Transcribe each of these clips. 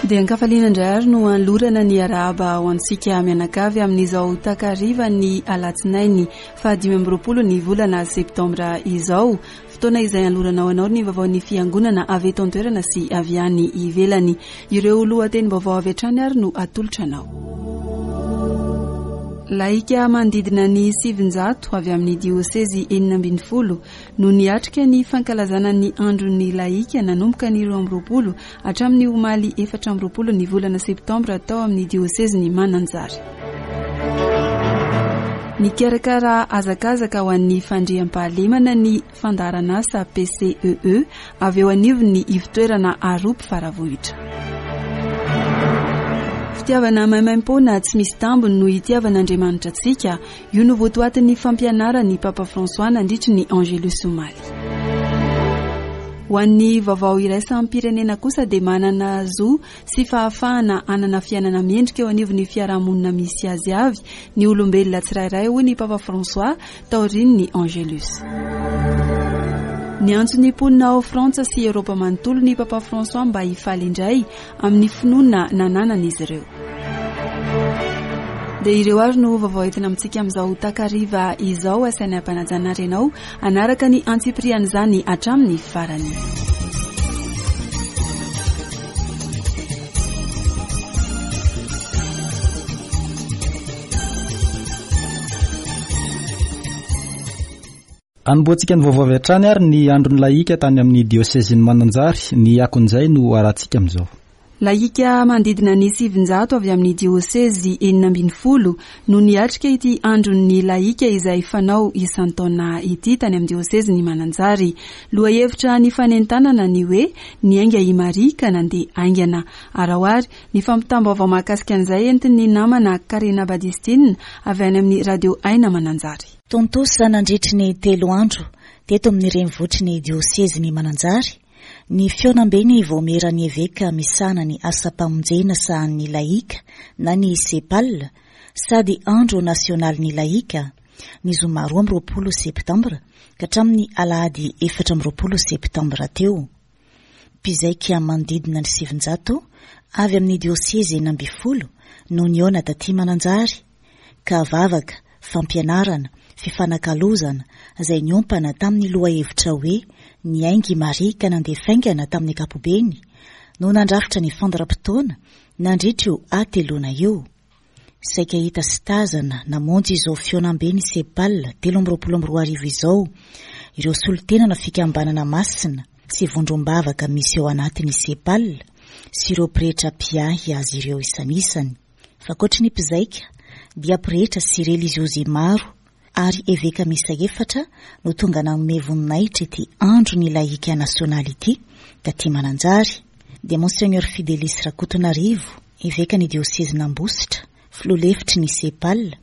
Dia an-kafaliana indray ary no anolorana ny arahaba ho antsika mianakavy amin'izao takarivan'ny alatsinainy faha 25 ny volana septambra izao. Fotoana izay anolorana ho anao ny vaovaon'ny fiangonana avy eto an-toerana sy avy any ivelany. Ireo lohatenim-baovao avy hatrany ary no atolotra anao. Laika manodidina ny 900 avy amin'ny diosezy 16 no niatrika ny fankalazana ny andron'ny laika nanomboka ny 22 hatramin'ny omaly 24 ny volana septambra tao amin'ny diosezin'i Mananjary. Nikarakara hazakazaka ho an'ny fandriampahalemana ny fandaharanasa PCEE avy eo anivon'ny ivotoerana Arope Faravohitra. Fitiavana maimaimpoana tsy misy tambiny no itiavan'Andriamanitra antsika. Io no votoatin'ny fampianaran'ny Papa François nandritry ny Angelus omaly. Ho an'ny vaovao iraisam-pirenena kosa dia manana zo sy fahafahana hanana fiainana mendrika eo anivon'ny fiarahamonina misy azy avy ny olombelona tsirairay hoy ny Papa François taorian'ny Angelus. Niantso ny mponina ao Frantsa sy Eoropa manontolo ny Papa François mba hifaly indray amin'ny finoana nananan'izy ireo. Dia ireo ary no vaovao entina amintsika amin'izao takariva izao. Asaina ampanajana ary ianao hanaraka ny antsipirian'izany hatramin'ny farany. Anombohantsika ny vaovao avy hatrany ary ny andron'ny lahika tany amin'ny diosezin'i Mananjary, ny akon'izay no arahantsika amin'izao. Lahika manodidina ny 900 avy amin'ny diosezy 16 no niatrika ity andron'ny lahika izay fanao isan-taona ity tany amin'ny diosezin'i Mananjary. Lohahevitra nifanentanana ny hoe Niainga i Maria ka nandeha haingana. Araho ary ny fampitam-baovao mahakasika an'izay entin'ny namana Karena Badistine avy any amin'ny Radio Aina Mananjary. Tontosa nandritry ny telo andro teto amin'ny renivohitry ny diosezin'i Mananjary ny fihaonamben'ny vaomieran'ny eveka misahana ny asam-pamonjena sahanin'ny lahika na ny Cepal sady andro nasionalin'ny lahika ny zoma 22 septambra ka hatramin'ny alahady 24 septambra teo. Mpizaika manodidina ny 900 avy amin'ny diosezy 16 no nihaona taty Mananjary ka vavaka, fampianarana, fifanakalozana izay niompana tamin'ny lohahevitra hoe Niainga i Maria ka nandeha faingana tamin'ny ankapobeny no nandrafitra ny fandaharam-potoana nandritra io hateloana io. Saika hita sy tazana namonjy izao fihaonambe ny Cepal 2023 izao ireo solontenana fikambanana masina sy vondrom-bavaka misy ao anatin'ny Cepal sy ireo pretra mpiahy azy ireo isanisany. Fa ankoatry ny mpizaika dia pretra sy reliziozy maro ary eveka miisa efatra no tonga nanome voninahitra ity andron'ny lahika nasionaly ity taty Mananjary, dia Monseigneur Fidelis Rakotonarivo, evekan'ny diosezin'Ambositra, filoha lefitry ny Cepal,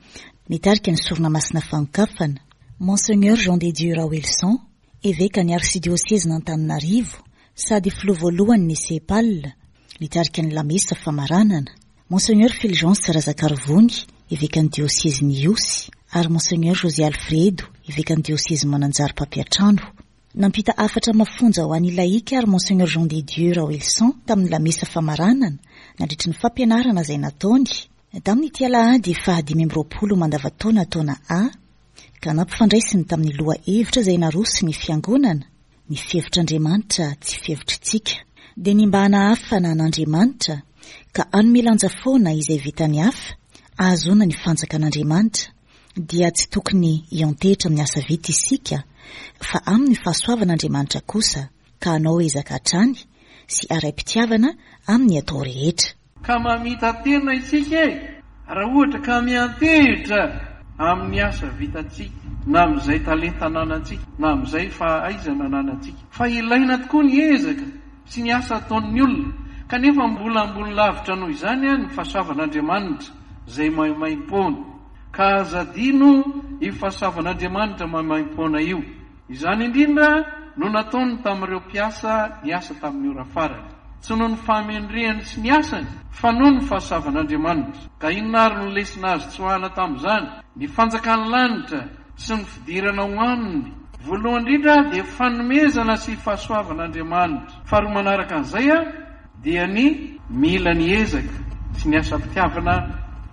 nitarika ny sorona masina fanokafana, Monseigneur Jean de Dieu Raoelison, evekan'ny arsidiosezin'Antananarivo sady filoha voalohany ny Cepal, nitarika ny lamesa famaranana, Monseigneur Fulgence Razakarivony, evekan'ny diosezin'i Ihosy, ary Monseigneur José Alfredo, evekan'ny diosezin'i Mananjary mpampiantrano. Nampita hafatra mafonja ho an'ny lahika ary Monseigneur Jean de Dieu Raoelison tamin'ny lamesa famaranana, nandritry ny fampianarana izay nataony, tamin'ity alahady faha-25 mandavantaona taona A, ka nampifandraisiny tamin'ny lohahevitra izay naroson'ny Fiangonana, Ny fihevitr'Andriamanitra tsy fihevitr'tsika. Dia ny mba hanahafana an'Andriamanitra ka hanome lanja foana izay vitan'ny hafa ahazoana ny fanjakan'Andriamanitra dia tsy tokony hiantehitra amin'ny asa vita isika fa amin'ny fahasoavan'Andriamanitra kosa ka hanao ezaka hatrany sy haraim-pitiavana amin'ny atao rehetra. Ka mamita-tena isika e! Raha ohatra ka miantehitra amin'ny asa vitantsika, na amin'izay talenta ananantsika, na amin'izay fahaizana ananantsika. Fa ilaina tokoa ny ezaka sy ny asa ataon'ny olona, kanefa mbola ambony lavitra noho izany ny fahasoavan'Andriamanitra izay maimaimpoana. Ka aza adino io fahasoavan'Andriamanitra maimaimpoana io. Izany indrindra no nataony tamin'ireo mpiasa niasa tamin'ny ora farany. Tsy noho ny fahamendrehany sy ny asany, fa noho ny fahasoavan'Andriamanitra. Ka inona àry no lesona azo tsoahana tamin'izany? Ny fanjakan'ny lanitra sy ny fidirana ao aminy. Voalohany indrindra dia fanomezana sy fahasoavan'Andriamanitra. Faharoa manaraka an'izay. dia ny mila ny ezaka sy ny asam-pitiavana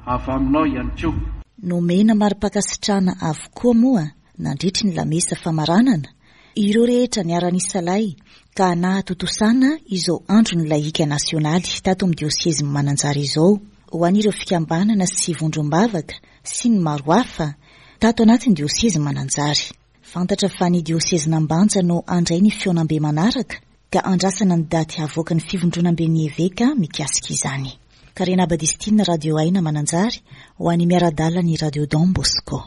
avy aminao ihany koa. Nomena mari-pankasitrahana avokoa moa nandritry ny lamesa famaranana ireo rehetra niara-nisalahy ka nahatontosana izao andron'ny lahika nasionaly tato amin'ny diosezin'i Mananjary izao ho an'ireo fikambanana sy vondrom-bavaka sy ny maro hafa tato anatin'ny diosezin'i Mananjary. Fantatra fa ny diosezin'Ambanja no handray ny fihaonambe manaraka ka andrasana ny daty havoakan'ny fivondronamben'ny eveka mikasika izany. Karena Badistine Radio Aina Mananjary ho an'ny miara-dalana ny Radio Don Bosco.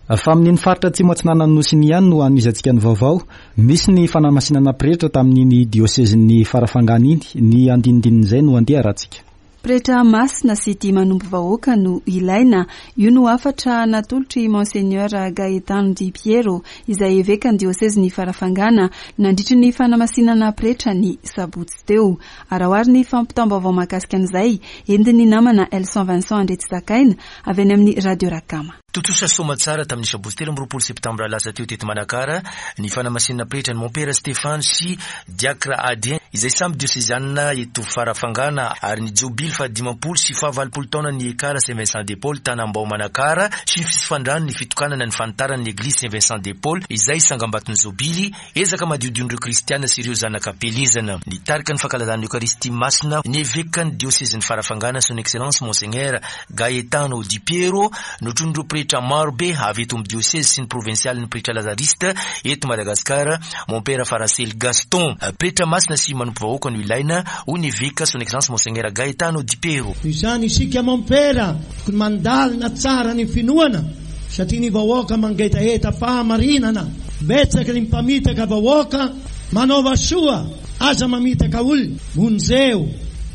Fa amin'iny faritra atsimo atsinanan'ny Nosy iny ihany no hanohizantsika ny vaovao. Nisy ny fanamasinana pretra tamin'iny diosezin'ny Farafangana iny. Ny andinindinin'izay no andeha arahantsika. Pretra masina sy tia manompo vahoaka no ilaina. Io no hafatra natolotr'i Monseigneur Gaetano Di Piero, izay evekan'ny diosezin'i Farafangana, nandritry ny fanamasinana pretra ny sabotsy teo. Araho àry ny fampitam-baovao mahakasika an'izay, entin'ny namana Elson Vincent Andriatsizakaina, avy any amin'ny Radio Rakama. Tontosa soamatsara tamin'ny sabotsy 23 septambra lasa teo teto Manakara ny fanamasinana pretra ny Mompera Stéphane sy Diacre Adrien izay samy diosezianina eto Farafangana ary ny jobily faha-50 sy faha-80 taonan'ny Ekar Saint Vincent de Paul Tanambao Manakara sy ny fitsofan-drano ny fitokanana ny fanitarana ny Eglizy Saint Vincent de Paul izay sangambaton'ny jobily Ezaka madiodion'ireo kristiana sy ireo zanaka am-pielezana. Nitarika ny fankalazana ny Eokaristia Masina ny evekan'ny diosezin'i Farafangana Son Excellence Monseigneur Gaetano Di Piero, notronin'ireo pretra marobe avy eto amin'ny diosezy sy ny provinsialin'ny pretra lazariste eto Madagasikara, Mompera Farasely Gaston. Pretra masina sy manompo vahoaka no ilaina, hoy ny eveka Son Excellence Monseigneur Gaetano Di Piero. Noho izany isika Mompera tokony mandalina tsara ny finoana satria ny vahoaka mangetaheta fahamarinana. Betsaka ny mpamitaka vahoaka, manaova soa, aza mamitaka olona, vonjeo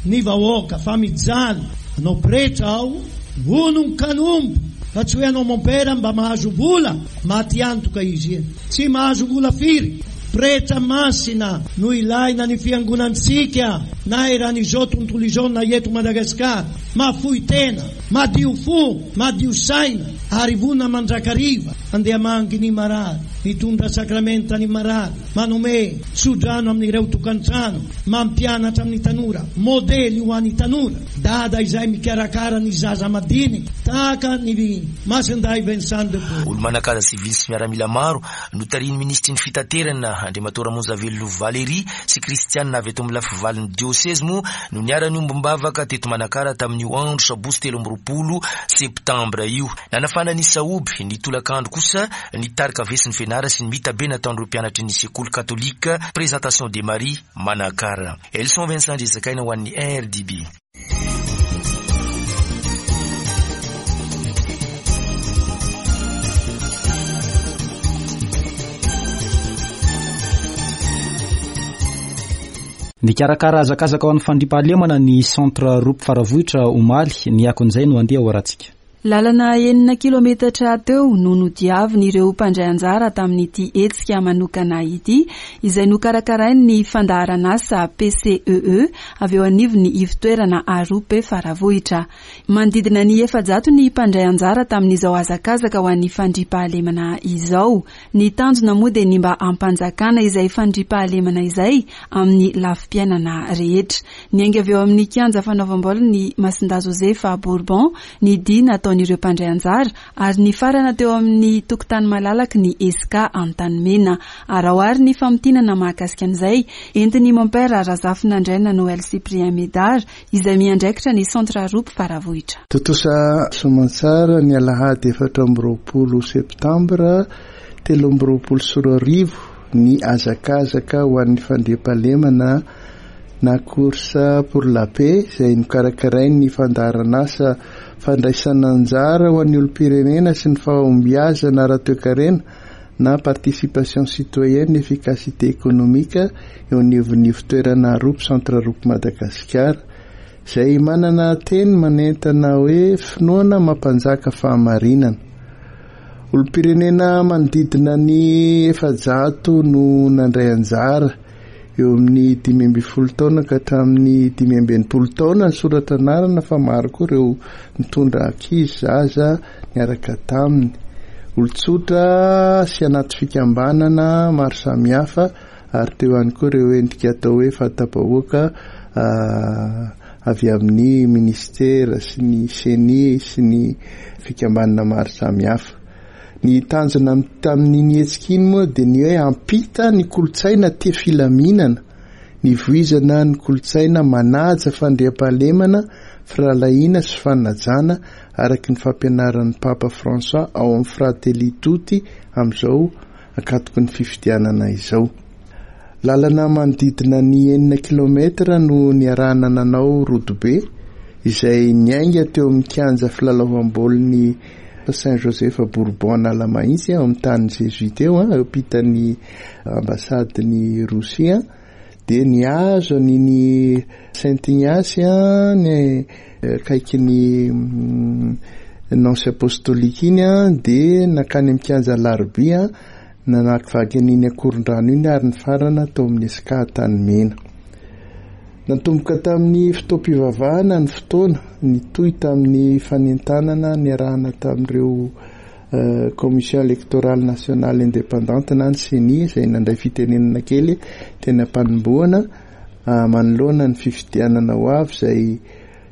ny vahoaka fa mijaly, anao pretra aho, vonon-kanompo fa tsy hoe anao mompera mba mahazo vola, maty antoka izy iny, tsy mahazo vola firy, pretra masina no ilaina ny fiangonantsika na eran'izao tontolo izao na eto Madagasikara, mahafoy tena, madio fo, madio saina ary vonona mandrakariva. Andeha mangy ny marary, mitondra sakramenta ny marary, manome tsodrano amin'ireo tokantrano, mampianatra amin'ny tanora, modely ho an'ny tanora, dada izay mikarakara ny zaza madinika, tahaka ny Masindahy Vincent de Paul. Olo-manan-kaja sivily sy miaramila maro, notarihin'ny minisitry ny Fitaterana, Andriamatoa Ramonjavelo Valéry sy Kristianina avy eto amin'ny lafivalon'ny diosezy moa no niara-niombom-bavaka teto Manakara tamin'io andro sabotsy 23 septambra io. Nanafana ny sahoby, ny tolakandro kosa ny tarika Vesin'ny Fianara sy ny mitabe nataon'ireo mpianatry ny sekoly katolika Présentation de Marie, Manakara. Elson Vincent Andriazakaina ho an'ny RDB. Nikarakara hazakazaka ho an'ny fandriampahalemana ny Centre Roop Faravohitra omaly, ny akon'izay no andeha ho arahantsika. Lalana enina kilometatra teo no nodiavin'ireo mpandray anjara tamin'ity hetsika manokana ity, izay nokarakarain'ny fandaharanasa PCEE avy eo anivon'ny ivontoerana Arope Faravohitra. Manodidina ny 400 ny mpandray anjara tamin'izao hazakazaka ho an'ny fandriampahalemana izao. Ny tanjona moa dia ny mba hampanjakana izay fandriampahalemana izay amin'ny lafim-piainana rehetra. Niainga avy eo amin'ny kianja fanaovam-baolin'ny Masindahy Josefa Bourbon ny dia nataon'ireo mpandray anjara ary nifarana teo amin'ny tokotany malalaky ny Esca Antanimena. Araho àry ny famintinana mahakasika an'izay entin'i Mompera Razafinandraina Noël Cyprien Médard izay miandraikitra ny Centre Arope Faravohitra. Tontosa soamantsara ny alahady 24 septambra 2023 ny hazakazaka ho an'ny fandriampahalemana na Course pour la paix izay nokarakarain'ny fandaharanasa fandraisana anjara ho an'ny olom-pirenena sy ny fahombiazana ara-toekarena na Participation citoyenne efficacité économique eo anivon'ny ivontoerana Arope Centre Arope Madagasikara izay manana teny manentana hoe finoana mampanjaka fahamarinana. Olom-pirenena manodidina ny 400 no nandray anjara. Eo amin'ny 15 taona ka hatramin'ny 65 taona ny soratra anarana fa maro koa ireo nitondra ankizy, zaza niaraka taminy. Olon-tsotra sy anaty fikambanana maro samihafa ary teo ihany koa ireo endrika atao hoe fanta-bahoaka avy amin'ny minisitera sy ny ceni sy ny fikambanana maro samihafa. Ny tanjona tamin'iny hetsika iny moa dia ny hoe hampita ny kolontsaina tia filaminana, nivoizana ny kolontsaina manaja fandriampahalemana, firahalahiana sy fanajana araka ny fampianaran'ny Papa François ao amin'ny Fratelli Tutti amin'izao ankatoky ny fifidianana izao. Lalana manodidina ny enina kilaometatra no niarahana nanao rodobe izay niainga teo amin'ny kianja filalaovam-baolin'ny Saint Joseph Bourbon Analamahitsy ao amin'ny tanin'ny Jésuite eo, eo ampitan'ny ambasadin'i Rosia dia nihazo an'iny Saint Ignace ny akaikin'ny Nonce Apostolique iny dia nankany amin'ny kianja Alarobia Namakivaky an'iny Akorondrano iny ary nifarana tao amin'ny Esca Antanimena. Natomboka tamin'ny fotoam-pivavahana ny fotoana, nitohy tamin'ny fanentanana niarahana tamin'ireo Commission Electorale Nationale Indépendante na ny Ceni izay nandray fitenenana kely teny am-panombohana manoloana ny fifidianana ho avy izay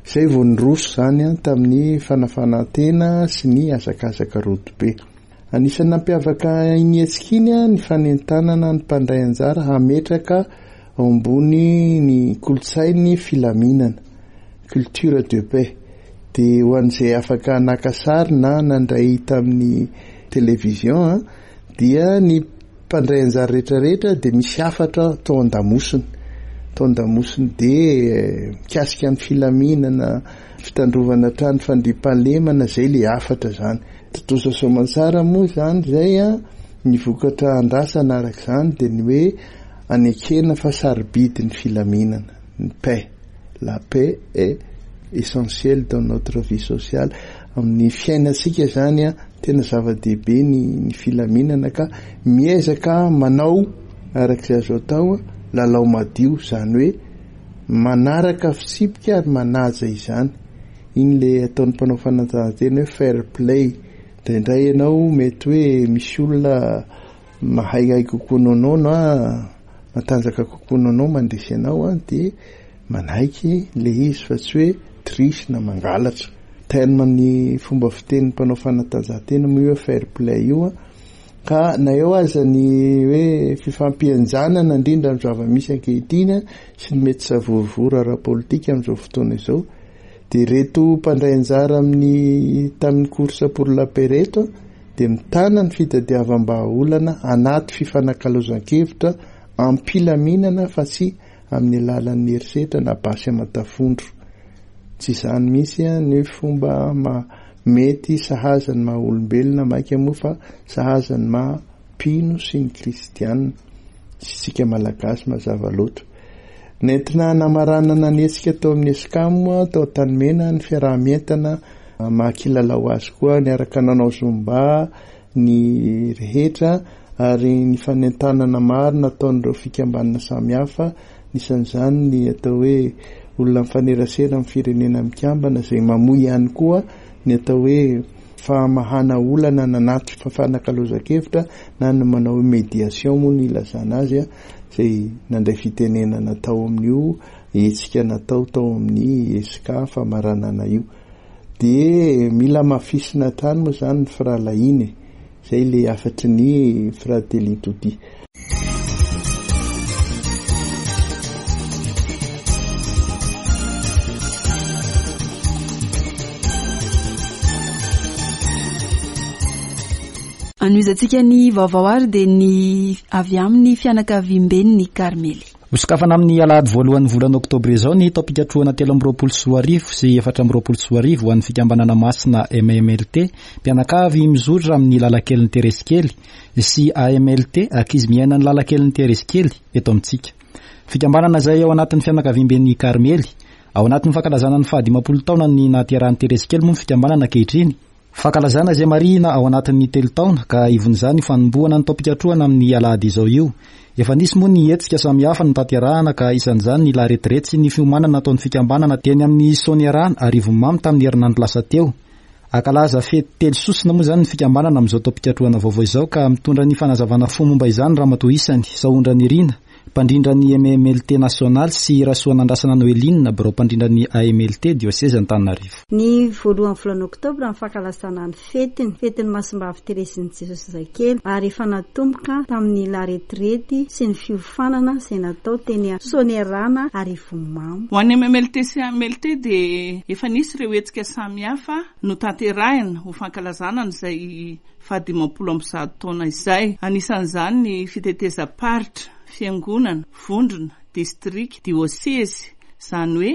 izay vao niroso izany tamin'ny fanafanan-tena sy ny hazakazaka rodobe. Anisan'ny nampiavaka iny hetsika iny ny fanentanana ny mpandray anjara hametraka ao ambony ny kolontsain'ny filaminana, culture de paix. Dia ho an'izay afaka naka sary na nandray tamin'ny télévision dia ny mpandray anjara rehetra rehetra dia misy hafatra tao an-damosiny. Tao an-damosiny dia mikasika ny filaminana, fitandrovana hatrany fandriampahalemana, izay ilay hafatra izany. Tontosa soamantsara moa izany izay an, ny vokatra andrasana araka izany dia ny hoe anekena fa sarobidy ny filaminana, ny paix, la paix est essentielle dans notre vie sociale, amin'ny fiainantsika izany an, tena zava-dehibe ny ny filaminana ka miezaka manao araka izay azo atao lalao madio, izany hoe manaraka fitsipika ary manaja izany. Iny le ataon'ny mpanao fanatanjahantena hoe fair play. Indraindray ianao mety hoe misy olona mahaihay kokoa noho anao na matanjaka kokoa noho anao mandresy anao an, dia manaiky le izy fa tsy hoe triche na mangalatra. Terme ny fomba fitenin'ny mpanao fanatanjahantena moa io hoe fair play io an. Ka na eo aza ny hoe fifampihenjanana indrindra amin'ny zava-misy ankehitriny sy ny mety savorovoro ara-politika amin'izao fotoana izao dia ireto mpandray anjara amin'ny tamin'ny course pour la paix ireto dia mitana ny fitadiavam-bahaolana anaty fifanakalozan-kevitra am-pilaminana fa tsy amin'ny alalan'ny herisetra na basy aman-tafondro. Tsy izany mihitsy ny fomba mety sahaza ny maha olombelona mainka moa fa sahaza ny maha mpino sy ny kristiana sy isika malagasy mazava loatra. Nentina namaranana ny hetsika tao amin'ny Escam tao Antanimena ny fiaraha-mientana maha kilalao azy koa niaraka nanao zumba ny rehetra ary ny fanentanana maro nataon'ireo fikambanana samihafa, anisan'izany ny atao hoe olona mifanerasera amin'ny firenena mikambana izay mamoy ihany koa ny atao hoe famahana olana anaty fifanakalozan-kevitra na ny manao hoe médiation moa no ilazana azy izay nandray fitenenana tao amin'io hetsika natao tao amin'ny ESCA famaranana io. Dia mila hamafisina hatrany moa izany ny firahalahiana e! Izay ilay hafatry ny Fratelli Tutti. Anohizantsika ny vaovao ary dia ny avy amin'ny fianakaviamben'ny Karmely. Hosokafana amin'ny alahady voalohan'ny volana oktobra izao ny taom-pikatrohana 2023 sy 2024 ho an'ny fikambanana masina MMLT, mpianakavy mizotra amin'ny lalankelin'i Teresy Kely, sy AMLT, ankizy miaina ny lalankelin'i Teresy Kely, eto amintsika. Fikambanana izay ao anatin'ny fianakaviamben'ny Karmely. Ao anatin'ny fankalazana ny fahadimampolo taonan'ny nahaterahan'i Teresy Kely moa ny fikambanana ankehitriny. Fankalazana izay marihina ao anatin'ny telo taona ka ivon'izany io fanombohana ny taom-pikatrohana amin'ny alahady izao io. Efa nisy moa ny hetsika samihafa notanterahana ka isan'izany ny laretirety sy ny fiomanana nataon'ny fikambanana teny amin'ny Soanierana Arivonimamo tamin'ny herinandro lasa teo. Hankalaza fety telo sosona moa izany ny fikambanana amin'izao taom-pikatrohana vaovao izao ka mitondra ny fanazavana fohy momba izany Ramatoa isany, Sahondranirina, mpandrindra ny MMLT nasionaly sy Rasoanandrasana Noeline, birao mpandrindra ny AMLT diosezy Antananarivo. Ny voalohan'ny volana oktobra ny fankalazana ny fetiny, fetin'ny Masimbavy Terezin'i Jesosy Zazakely, ary efa natomboka tamin'ny laretirety sy ny fiofanana izay natao teny Soanierana Arivonimamo. Ho an'ny MMLT sy AMLT dia efa nisy ireo hetsika samihafa notanterahina ho fankalazana an'izay faha-150 taona izay. Anisan'izany ny fitetezam-paritra, fiangonana, vondrona, distrika, diosezy, izany hoe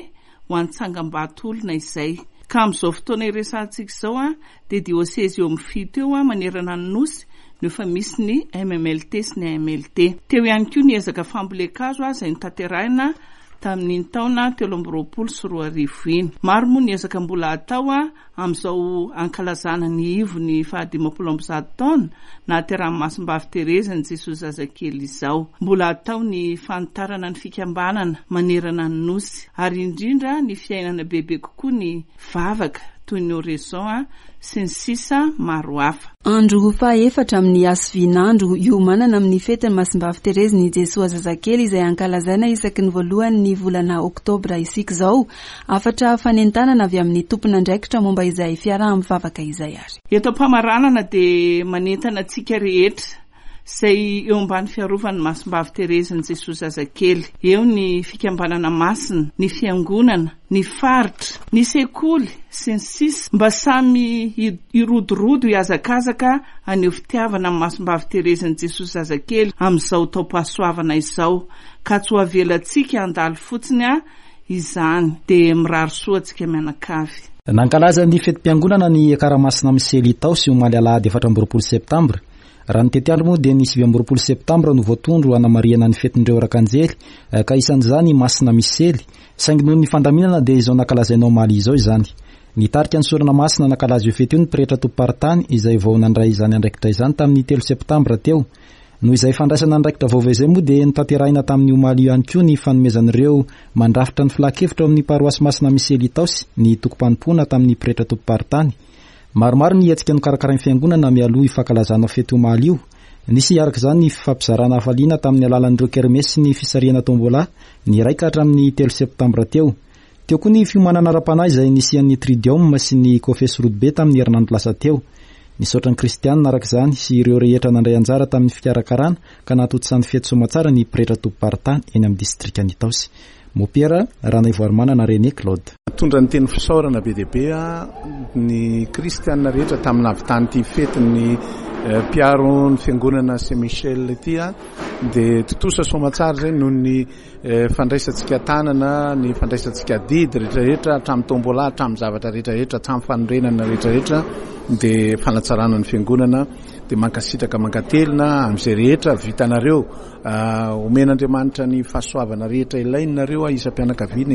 ho an'ny tsangambato olona izay. Ka amin'izao fotoana iresahantsika izao dia diosezy eo amin'ny fito eo manerana ny Nosy no efa misy ny MMLT sy ny AMLT. Teo ihany koa ny ezaka fambolen-kazo izay notanterahina tamin'iny taona 2023 iny. Maro moa ny ezaka mbola hatao Amin'izao ankalazana ny ivon'ny faha 150 taona nahaterahan'i Masimbavy Terezy an'i Jesoa Zazakely izao. Mbola hatao ny fanitarana ny fikambanana manerana ny Nosy ary indrindra ny fiainana bebe kokoa ny vavaka toy ny oraison sy ny sisa maro hafa. Andro fahaefatra amin'ny hasivin'andro hiomanana amin'ny fetin'i Masimbavy Terezy ny Jesoa Zazakely izay ankalazaina isaky ny voalohan'ny volana oktobra isika izao. Hafatra fanentanana avy amin'ny tompon'andraikitra momba izay fiaraha-mivavaka izay ary. Eto am-pamaranana dia manentana antsika rehetra izay eo ambany fiarovan'ny Masimbavy Terezin'i Jesoa Zazakely, eo ny fikambanana masina, ny fiangonana, ny faritra, ny sekoly, sy ny sisa mba samy hirodorodo hihazakazaka haneho fitiavana amin'ny Masimbavy Terezin'i Jesoa Zazakely amin'izao taom-pahasoavana izao ka tsy ho avelantsika handalo fotsiny izany dia mirary soa antsika mianakavy. Nankalaza ny fetim-piangonana ny Ekara Masina Misely Itaosy omaly alahady 24 septambra. Raha ny tetiandro moa dia ny 29 septambra no voatondro hanamarihana ny fetin'ireo rakanjely ka isan'izany i Masina Misely, saingy noho ny fandaminana dia izao nankalazaina omaly izao izany. Nitarika ny sorona masina nankalaza io fety io ny pretra tompom-paritany izay vao nandray izany andraikitra izany tamin'ny telo septambra teo. Noho izay fandraisana andraikitra vaovao izay moa dia notanterahina tamin'ny omaly io ihany koa ny fanomezan'ireo mandrafitra ny filan-kevitra ao amin'ny paroasy Masina Misely Itaosy ny tokim-panompoana tamin'ny pretra tompom-paritany. Maromaro ny hetsika nokarakarain'ny fiangonana mialoha io fankalazana fety omaly io. Nisy araka izany ny fifampizarana hafaliana tamin'ny alalan'ireo kermesy sy ny fisarihana tombola ny iray ka hatramin'ny telo septambra teo. Teo koa ny fiomanana ara-panahy izay nisian'ny Tridium sy ny Kofesy Rodobe tamin'ny herinandro lasa teo. Nisaotra ny kristianina araka izany sy ireo rehetra nandray anjara tamin'ny fikarakarana ka nahatontosan'ny fety soamatsara ny pretra tompom-paritany eny amin'ny distrikan'Itaosy. Mompera Ranaivoarimanana René Claude. Mitondra ny teny fisaorana be dia be ny kristianina rehetra tamin'ny nahavitan'ity fetin'ny mpiaro ny fiangonana Saint Michel ity dia tontosa soamatsara izay noho ny Fandraisantsika tanana, ny fandraisantsika adidy rehetra rehetra hatramin'ny tombola, hatramin'ny zavatra rehetra rehetra, hatramin'ny fanorenana rehetra rehetra dia fanatsarana ny fiangonana dia mankasitraka mankatelina amin'izay rehetra vitanareo. Omen'Andriamanitra ny fahasoavana rehetra ilainareo isam-pianakaviana,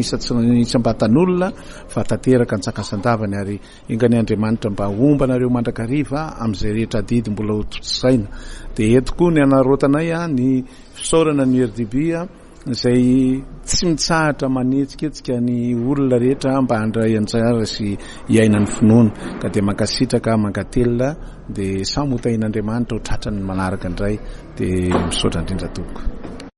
isam-batan'olona fa tanteraka antsakasandavany ary enganie Andriamanitra mba homba anareo mandrakariva amin'izay rehetra adidy mbola ho tontosaina. Dia eto koa ny anarorotanay ny Fisaorana ny RDB izay tsy mitsahatra manetsiketsika ny olona rehetra mba handray anjara sy hiaina ny finoana. Ka dia mankasitraka, mankatelina, dia samy ho tahian'Andriamanitra ho tratran'ny manaraka indray. Dia misaotra indrindra tompoko.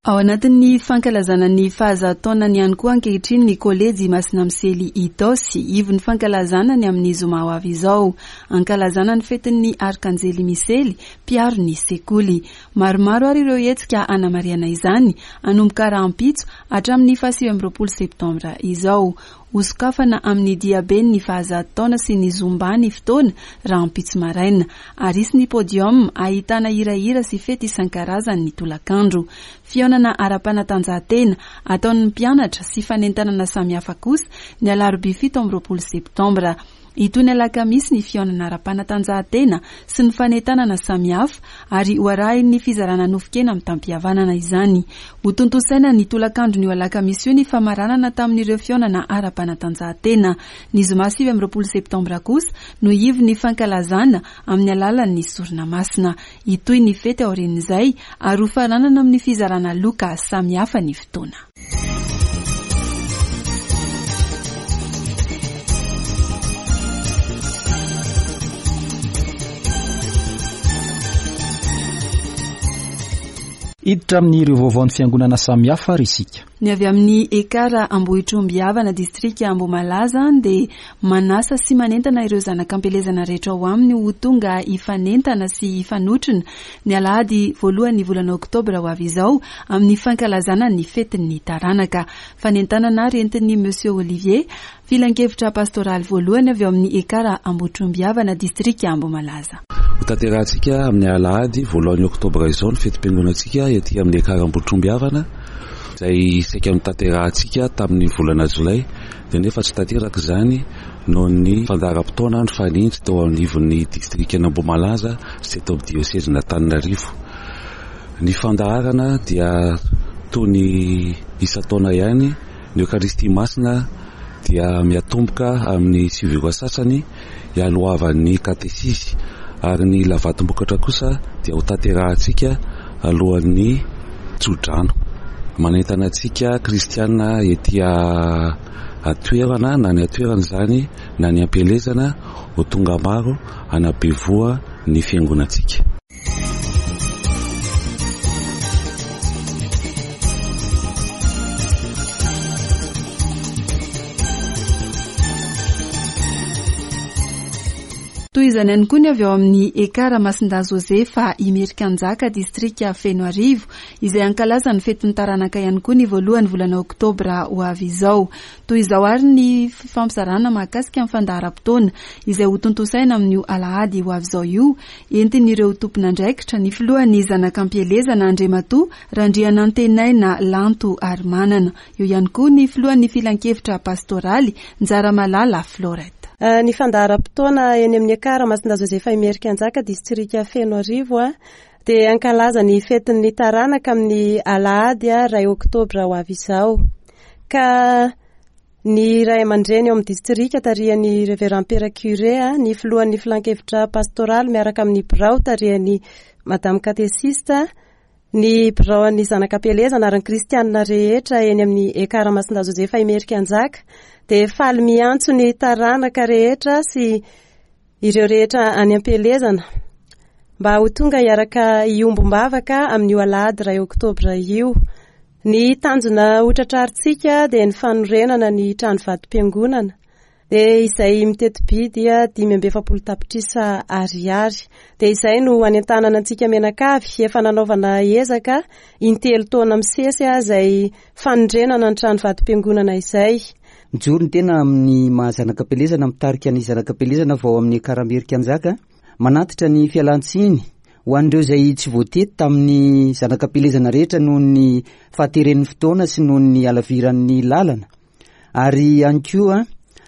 Ao anatin'ny fankalazana ny fahazato taonany ihany koa ankehitriny ny Kolejy Masina Misely Itaosy, ivon'ny fankalazana ny amin'ny zoma ho avy izao. Ankalazana ny fetin'ny Arkanjely Misely, mpiaro ny sekoly. Maromaro ary ireo hetsika hanamarihana izany, hanomboka rahampitso hatramin'ny faha-29 septambra izao. Hosokafana amin'ny diaben'ny fahazato taona sy ny Zumba ny fotoana, rahampitso maraina. Ary hisy ny podium ahitana hirahira sy fety isan-karazany ny tolakandro. Fihaonana ara-panatanjahantena ataon'ny mpianatra sy fanentanana samihafa kosa ny alarobia 27 septambra. Hitohy ny alakamisy ny fihaonana ara-panatanjahantena sy ny fanentanana samihafa ary ho arahin'ny fizarana nofon-kena mitam-pihavanana izany. Hotontosaina ny tolakandron'io alakamisy io ny famaranana tamin'ireo fihaonana ara-panatanjahantena. Ny zoma 29 septambra kosa no ivon'ny fankalazana amin'ny alalan'ny sorona masina. Hitohy ny fety aorian'izay ary hofaranana amin'ny fizarana loka samihafa ny fotoana. Hiditra amin'ireo vaovaon'ny fiangonana samihafa ary isika. Ny avy amin'ny Ekar Ambohitrombihavana, distrika Ambohimalaza, dia manasa sy manentana ireo zanak'ampielezana rehetra ao aminy ho tonga hifanentana sy hifanotrona ny alahady voalohan'ny volana oktobra ho avy izao amin'ny fankalazana ny fetin'ny taranaka. Fanentanana ary entin'ny Monsieur Olivier, filankevitra pastoraly voalohany avy ao amin'ny Ekar Ambohitrombihavana, distrika Ambohimalaza. Hotanterahantsika amin'ny alahady voalohan'ny oktobra izao ny fetim-piangonantsika ety amin'ny Ekar Ambohitrombihavana izay saika notanterahantsika tamin'ny volana jolay dia nefa tsy tanteraka izany noho ny fandaharam-potoana nifanindry teo anivon'ny distrikan'Ambohimalaza sy teto amin'ny diosezin'Antananarivo. Ny fandaharana dia toy ny isan-taona ihany, ny Eokaristia Masina dia miatomboka amin'ny sivy ora sasany hialohavan'ny katesizy ary ny lavatom-bokatra kosa dia ho tanterahantsika alohan'ny tsodrano. Manentana antsika kristiana ety an-toerana na ny an-toerana izany na ny am-pielezana ho tonga maro hanabe voa ny fiangonantsika. Toy izany ihany koa ny avy ao amin'ny Ekar Masindahy Josefa Imerikanjaka, distrika Fenoarivo, izay hankalaza ny fetin'ny taranaka ihany koa ny voalohan'ny volana oktobra ho avy izao. Toy izao àry ny fifampizarana mahakasika ny fandaharam-potoana izay hotontosaina amin'io alahady ho avy izao io, entin'ireo tompon'andraikitra, ny filohan'ny zanak'ampielezana Andriamatoa Randrianantenaina Lanto Harimanana. Eo ihany koa ny filohan'ny filankevitra pastoraly, Njaramalala Florette. Ny fandaharam-potoana eny amin'ny Ekar Masindahy Josefa Imerikanjaka, distrika Fenoarivo, dia hankalaza ny fetin'ny taranaka amin'ny alahady iray oktobra ho avy izao. Ka ny ray aman-dreny ao amin'ny distrika tarihan'ny Reverend Père Curé, ny filohan'ny filankevitra pastoraly miaraka amin'ny birao tarihan'ny Madame Katesista, Ny biraon'ny zanak'ampielezana ary ny kristianina rehetra eny amin'ny Ekar Masindahy Josefa Imerikanjaka dia faly miantso ny taranaka rehetra sy ireo rehetra any am-pielezana mba ho tonga hiaraka hiombom-bavaka amin'io alahady iray oktobra io. Ny tanjona hotratrarintsika dia ny fanorenana ny trano vatom-piangonana. Dia izay miteti-bidy 45 tapitrisa ariary. Dia izay no anentanana antsika mianakavy, efa nanaovana ezaka intelo taona misesy izay fanorenana ny trano vatom-piangonana izay. Mijoro ny tena amin'ny maha zanak'ampielezana mitarika ny zanak'ampielezana vao amin'ny Karamerikanjaka. Manatitra ny fialan-tsiny ho an'ireo izay tsy voatety tamin'ny zanak'ampielezana rehetra noho ny fahateren'ny fotoana sy noho ny halaviran'ny lalana. Ary ihany koa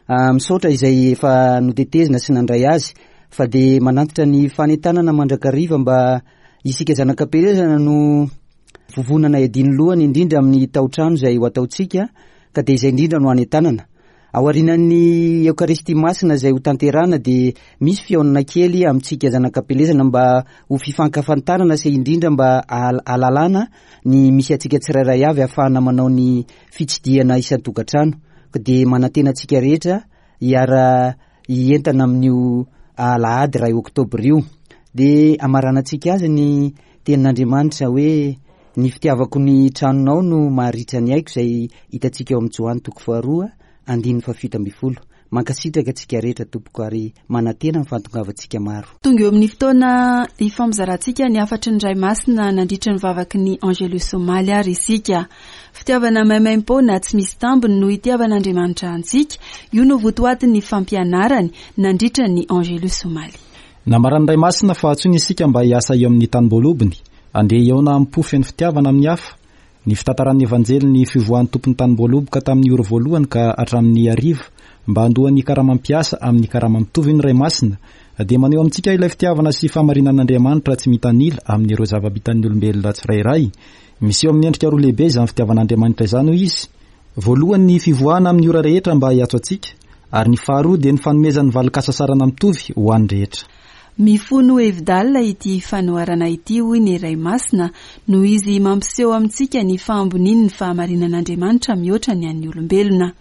misaotra izay efa notetezina sy nandray azy fa dia manantitra ny fanentanana mandrakariva mba isika zanak'ampielezana no vovonana iadian'ny lohany indrindra amin'ny taotrano izay ho ataontsika ka dia izay indrindra no anentanana. Aorianan'ny Eokaristia Masina izay ho tanterahana dia misy fihaonana kely amintsika zanak'ampielezana mba ho fifankafantarana sy indrindra mba ahalalana ny misy antsika tsirairay avy ahafahana manao ny fitsidihana isan-tokantrano ka dia manantena antsika rehetra hiara hientana amin'io alahady iray oktobra io. Dia amaranantsika azy ny tenin'Andriamanitra hoe ny fitiavako ny tranonao no maharitra ny aiko izay hitantsika ao amin'ny Joany toko faharoa andininy fahafito ambin'ny folo. Mankasitraka antsika rehetra tompoko ary manantena ny fahatongavantsika maro. Tonga eo amin'ny fotoana hifampizarantsika ny hafatry ny Ray Masina nandritra ny vavaky ny Angelus omaly ary isika. Fitiavana maimaimpoana tsy misy tambiny no itiavan'Andriamanitra antsika, io no votoatin'ny fampianarany nandritra ny Angelus omaly. Nambaran'ny Ray Masina fa antsoina isika mba hiasa eo amin'ny tanim-boalobony, andeha hihaona amim-po feno fitiavana amin'ny hafa. Ny fitantaran'ny Evanjely ny fivoahan'ny tompon'ny tanimboaloboka tamin'ny ora voalohany ka hatramin'ny hariva mba handoa ny karama mpiasa amin'ny karama mitovy ny Ray Masina dia maneho amintsika ilay fitiavana sy fahamarinan'Andriamanitra tsy mitanila amin'ireo zava-bitan'ny olombelona tsirairay. Miseho amin'ny endrika roa lehibe izany fitiavan'Andriamanitra izany hoy izy, voalohany ny fivoahana amin'ny ora rehetra mba hiantso antsika ary ny faharoa dia ny fanomezany valin-kasasarana mitovy ho an'ny rehetra. Mifono hevi-dalina ity fanoharana ity, hoy ny Ray Masina, noho izy mampiseho amintsika ny fahambonian'ny fahamarinan'Andriamanitra mihoatra ny an'ny olombelona.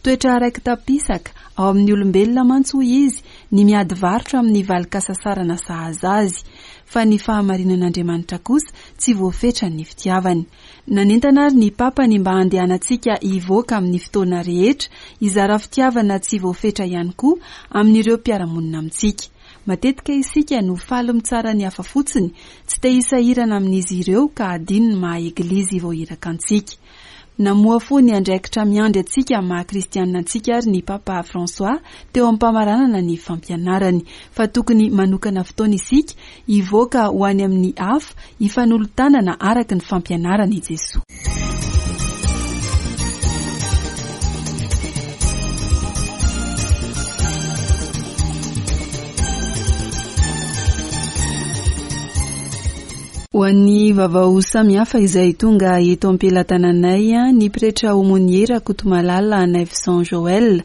Toetra raiki-tapisaka ao amin'ny olombelona mantsy, hoy izy, ny miady varotra amin'ny valin-kasasarana sahaza azy, fa ny fahamarinan'Andriamanitra kosa tsy voafetran'ny fitiavany. Nanentana ary ny Papa ny mba handehanantsika hivoaka amin'ny fotoana rehetra, hizara fitiavana tsy voafetra ihany koa amin'ireo mpiara-monina amintsika. Matetika isika no faly mitsara ny hafa fotsiny, tsy te hisahirana amin'izy ireo ka hadino ny maha Eglizy voahiraka antsika. Namohafoha ny andraikitra miandry antsika amin'ny maha kristianina antsika ary ny Papa François teo am-pamaranana ny fampianarany fa tokony manokana fotoana isika hivoaka ho any amin'ny hafa hifanolo-tanana araka ny fampianaran' i Jesoa. Ho an'ny vaovao samihafa izay tonga eto am-pelatananay, ny pretra aumônier Rakotomalala Naivoson Joël,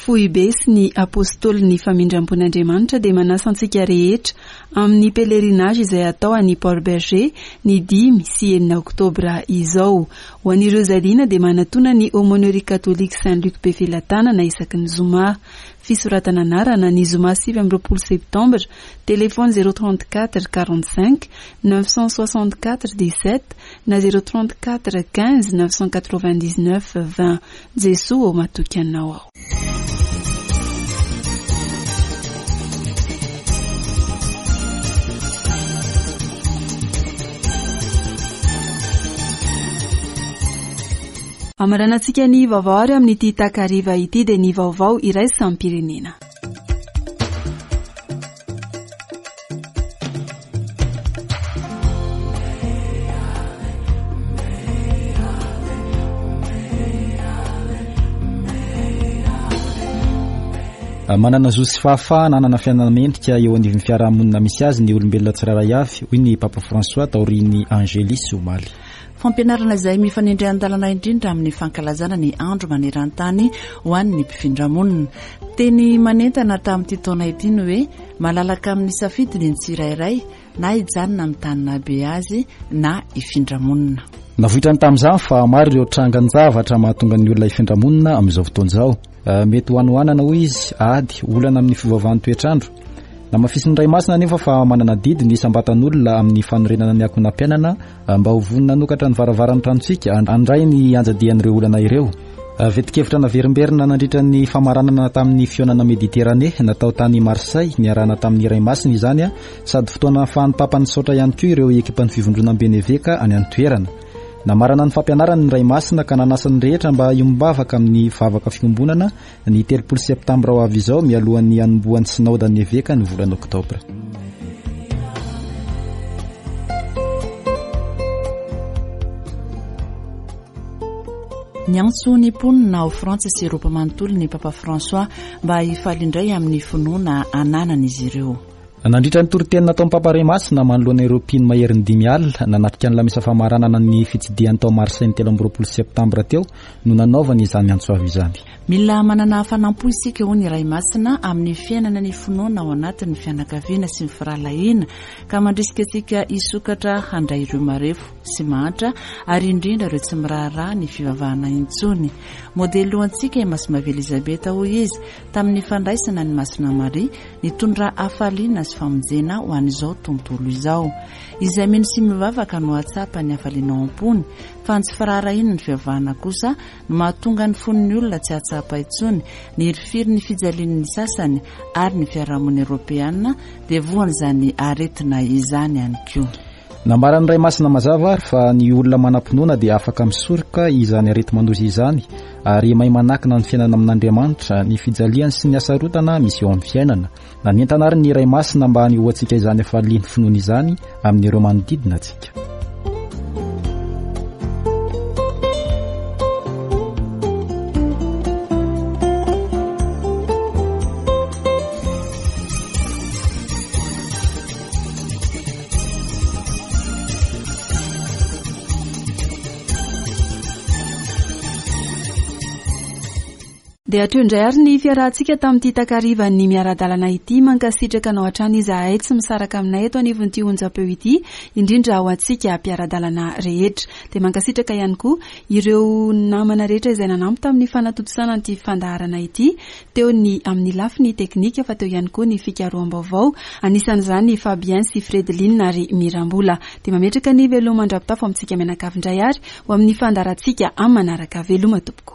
Foibe sy ny Apôstôlin'ny Famindram-pon'Andriamanitra dia manasa antsika rehetra amin'ny pèlerinage izay hatao any Port Bergé ny 5 sy 6 oktobra izao. Ho an'ireo izay liana dia manatona ny Aumônerie Catholique Saint Luc Befelatanana isaky ny zoma. Fisoratana anarana ny zoma 29 septambra, téléphone 034 45 964 17 na 034 15 999 20. Jesoa ô matoky anao aho. Hamaranantsika ny vaovao ary amin'ity takariva ity dia ny vaovao iraisam-pirenena. Manana zo sy fahafahana hanana fiainana mendrika eo anivon'ny fiarahamonina misy azy ny olombelona tsirairay avy, hoy ny Papa François taorian'ny Angelus omaly. Fampianarana izay mifanindry an-dalana indrindra amin'ny fankalazana ny andro maneran-tany ho an'ny mpifindramonina. Teny manentana tamin'ity taona ity ny hoe malalaka amin'ny safidiny ny tsirairay na hijanona amin'ny tany nahabe azy na hifindra monina. Navoitrany tamin'izany fa maro ireo trangan-javatra mahatonga ny olona hifindra monina amin'izao fotoana izao. Mety ho hanoanana hoy izy, ady, olana amin'ny fiovaovan'ny toetr'andro. Namafisin'ny Ray Masina anefa fa manana adidy ny isam-batan'olona amin'ny fanorenana ny ankohonam-piainana mba ho vonona hanokatra ny varavaran'ny tranontsika handray ny anjadian'ireo olana ireo. Vetin-kevitra naverimberina nandritra ny famaranana tamin'ny fihaonana Mediterane natao tany Marseille niarahana tamin'ny Ray Masina izany sady fotoana ahafahan'ny Papa nisaotra ihany koa ireo ekipan'ny Fivondronamben'ny Eveka any an-toerana. Namarana ny fampianarany ny Ray Masina ka nanasa ny rehetra mba hiombom-bavaka amin'ny vavaka fiombonana ny 30 septambra ho avy izao mialohan'ny hanombohan'ny Sinaodan'ny Eveka ny volana oktobra. Niantso ny mponina ao Frantsa sy Eropa manontolo ny Papa François mba hifaly indray amin'ny finoana ananan'izy ireo. Nandritra ny toriteny nataon'ny Papa Ray Masina manoloana ireo mpino maherin'ny dimy alina nanatrika ny lamesa famaranana ny fitsidihany tao Marseille ny 23 septambra teo no nanaovany izany antso avo izany. Mila manana hafanam-po isika, hoy ny Ray Masina, amin'ny fiainana ny finoana ao anatin'ny fianakaviana sy ny firahalahiana, ka mandrisika antsika hisokatra handray ireo marefo sy mahantra ary indrindra ireo tsy miraharaha ny fivavahana intsony. Modely ho antsika i Masimbavy Elizabeta, hoy izy, tamin'ny fandraisana an'i Masina Maria, nitondra hafaliana sy famonjena ho an'izao tontolo izao. Izay mino sy mivavaka no hahatsapa ny hafaliana ao am-pony, fa ny tsy firaharahiana ny fivavahana kosa no mahatonga ny fon'ny olona tsy hahatsapa intsony ny hirifiry ny fijalian'ny sasany ary ny fiarahamonina eoropeana dia voan'izany aretina izany ihany koa. Nambaran'ny Ray Masina mazava ary fa ny olona manam-pinoana dia afaka misoroka izany areti-mandoza izany ary mahay manakina ny fiainana amin'Andriamanitra, ny fijaliany sy ny hasarotana misy eo amin'ny fiainana. Nanentana ary ny Ray Masina mba hanehoantsika izany hafalian'ny finoana izany amin'ireo manodidina antsika. Dia hatreo indray ary ny fiarahantsika tamin'ity takarivan'ny miara-dalana ity. Mankasitraka anao hatrany izahay tsy misaraka aminay eto anivon'ity onjam-peo ity, indrindra ho antsika mpiara-dalana rehetra. Dia mankasitraka ihany koa ireo namana rehetra izay nanampy tamin'ny fanatontosana an'ity fandaharana ity, teo ny amin'ny lafiny teknika fa teo ihany koa ny fikaroham-baovao, anisan'izany i Fabien sy Fredeline ary Mirambola. Dia mametraka ny veloma mandra-pitafo amintsika mianakavy indray ary ho amin'ny fandaharantsika amin'ny manaraka. Veloma tompoko.